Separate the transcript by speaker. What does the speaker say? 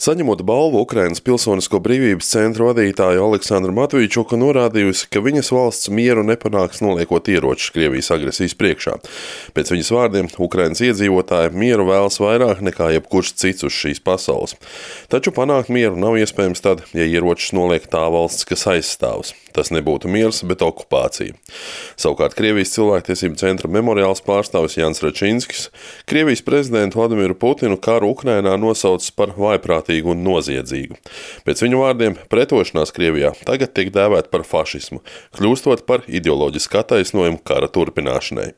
Speaker 1: Saņemot balvu, Ukrainas Pilsonisko brīvības centra vadītāja Aleksandra Matvīčuka norādījusi, ka viņas valsts mieru nepanāks noliekot ieročus Krievijas agresijas priekšā. Pēc viņas vārdiem, Ukrainas iedzīvotāji mieru vēlas vairāk nekā jebkurš cits uz šīs pasaules. Taču panākt mieru nav iespējams tad, ja ieročus noliek tā valsts, kas aizstāvs. Tas nebūtu miers, bet okupācija. Savukārt Krievijas cilvēktiesību centra memoriāls pārstāvis Jans Račinskis Krievijas prezidentu Vladimiru Putinu karu Ukrainā nosaucis par vājprātīgu un noziedzīgu. Pēc viņu vārdiem pretošanās Krievijā tagad tiek dēvēta par fašismu, kļūstot par ideoloģisku attaisnojumu kara turpināšanai.